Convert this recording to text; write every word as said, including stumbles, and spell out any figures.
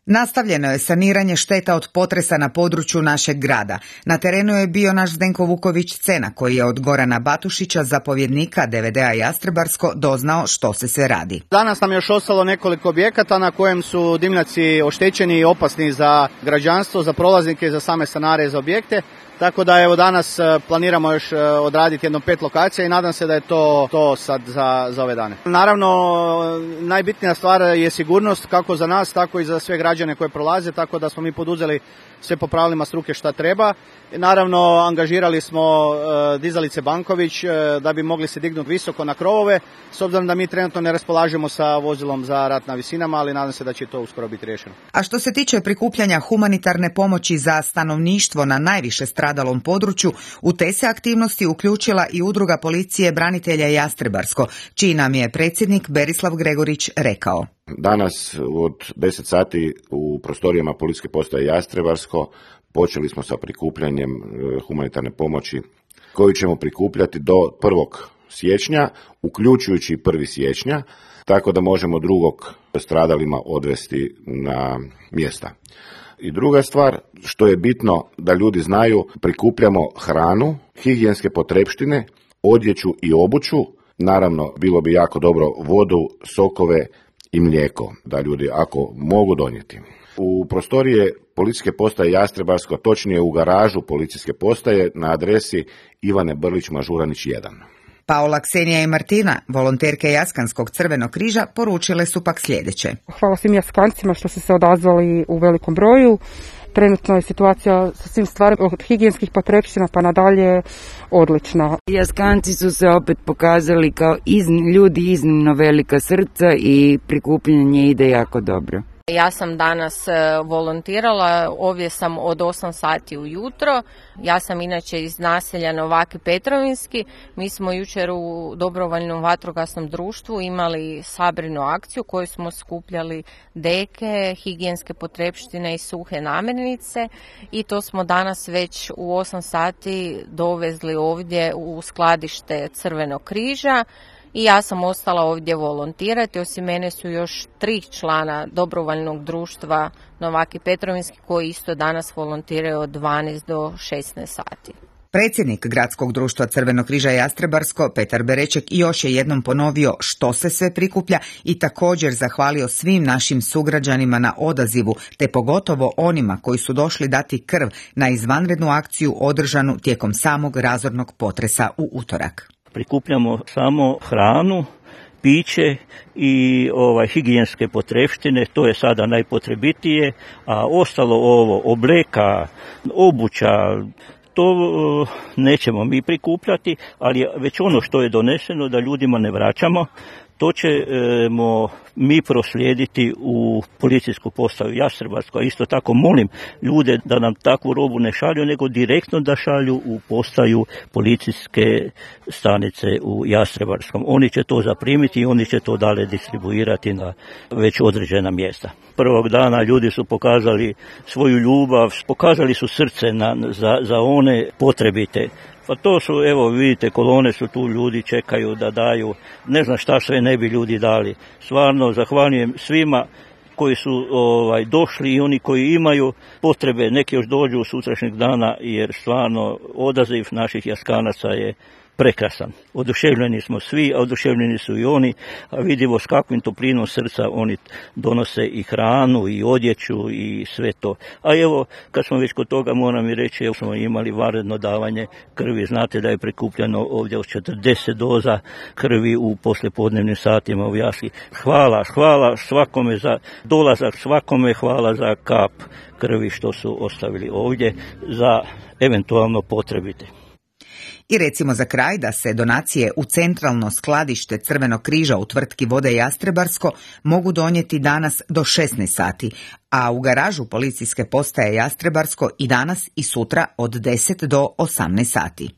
Nastavljeno je saniranje šteta od potresa na području našeg grada. Na terenu je bio naš Zdenko Vuković-Cena, koji je od Gorana Batušića, zapovjednika D V D-a Jastrebarsko, doznao što se sve radi. Danas nam je još ostalo nekoliko objekata na kojem su dimnjaci oštećeni i opasni za građanstvo, za prolaznike, za same stanare i za objekte. Tako da evo danas planiramo još odraditi jedno pet lokacija i nadam se da je to, to sad za, za ove dane. Naravno, najbitnija stvar je sigurnost kako za nas, tako i za sve građane koje prolaze, tako da smo mi poduzeli sve po pravilima struke šta treba. I naravno, angažirali smo uh, dizalice Banković uh, da bi mogli se dignuti visoko na krovove, s obzirom da mi trenutno ne raspolažemo sa vozilom za rad na visinama, ali nadam se da će to uskoro biti riješeno. A što se tiče prikupljanja humanitarne pomoći za stanovništvo na najviše stradalom području, u te se aktivnosti uključila i Udruga policije branitelja Jastrebarsko, čiji nam je predsjednik Berislav Gregorić rekao. Danas od deset sati u prostorijama policijske postaje Jastrebarsko počeli smo sa prikupljanjem humanitarne pomoći koju ćemo prikupljati do prvog siječnja, uključujući prvi siječnja, tako da možemo drugog stradalima odvesti na mjesta. I druga stvar, što je bitno da ljudi znaju, prikupljamo hranu, higijenske potrepštine, odjeću i obuću, naravno bilo bi jako dobro vodu, sokove i mlijeko, da ljudi ako mogu donijeti. U prostorije policijske postaje Jastrebarsko, točnije u garažu policijske postaje na adresi Ivane Brlić-Mažuranić jedan. Paola, Ksenija i Martina, volonterke Jaskanskog Crvenog križa, poručile su pak sljedeće. Hvala svim Jaskancima što su se odazvali u velikom broju. Trenutno je situacija sa svim stvarima od higijenskih potrepština pa nadalje odlična. Jaskanci su se opet pokazali kao izn, ljudi iznimno velika srca i prikupljanje ide jako dobro. Ja sam danas volontirala, ovdje sam od osam sati ujutro. Ja sam inače iz naselja Novaki Petrovinski. Mi smo jučer u dobrovoljnom vatrogasnom društvu imali sabrinu akciju koju smo skupljali deke, higijenske potrepštine i suhe namirnice i to smo danas već u osam sati dovezli ovdje u skladište Crvenog križa. I ja sam ostala ovdje volontirati, osim mene su još tri člana dobrovoljnog društva Novaki Petrovinski koji isto danas volontiraju od dvanaest do šesnaest sati. Predsjednik Gradskog društva Crvenog križa Jastrebarsko, Petar Bereček, još je jednom ponovio što se sve prikuplja i također zahvalio svim našim sugrađanima na odazivu, te pogotovo onima koji su došli dati krv na izvanrednu akciju održanu tijekom samog razornog potresa u utorak. Prikupljamo samo hranu, piće i ovaj, higijenske potrepštine, to je sada najpotrebitije, a ostalo ovo, obleka, obuća, to uh, nećemo mi prikupljati, ali već ono što je doneseno da ljudima ne vraćamo, to ćemo mi proslijediti u policijsku postaju Jastrebarsko. Isto tako molim ljude da nam takvu robu ne šalju, nego direktno da šalju u postaju policijske stanice u Jastrebarskom. Oni će to zaprimiti i oni će to dalje distribuirati na već određena mjesta. Prvog dana ljudi su pokazali svoju ljubav, pokazali su srce na, za, za one potrebite. Pa to su, evo vidite, kolone su tu, ljudi čekaju da daju, ne znam šta sve ne bi ljudi dali. Stvarno zahvaljujem svima koji su ovaj, došli i oni koji imaju potrebe, neki još dođu sutrašnjeg dana jer stvarno odaziv naših Jaskanaca je prekrasan. Oduševljeni smo svi, a oduševljeni su i oni, a vidimo s kakvim toplinom srca oni donose i hranu i odjeću i sve to. A evo, kad smo već kod toga, moram i reći, evo smo imali vanredno davanje krvi. Znate da je prikupljeno ovdje od četrdeset doza krvi u poslijepodnevnim satima u Jaski. Hvala, hvala svakome za dolazak, svakome hvala za kap krvi što su ostavili ovdje za eventualno potrebite. I recimo za kraj da se donacije u centralno skladište Crvenog križa u tvrtki Vode Jastrebarsko mogu donijeti danas do šesnaest sati, a u garažu policijske postaje Jastrebarsko i danas i sutra od deset do osamnaest sati.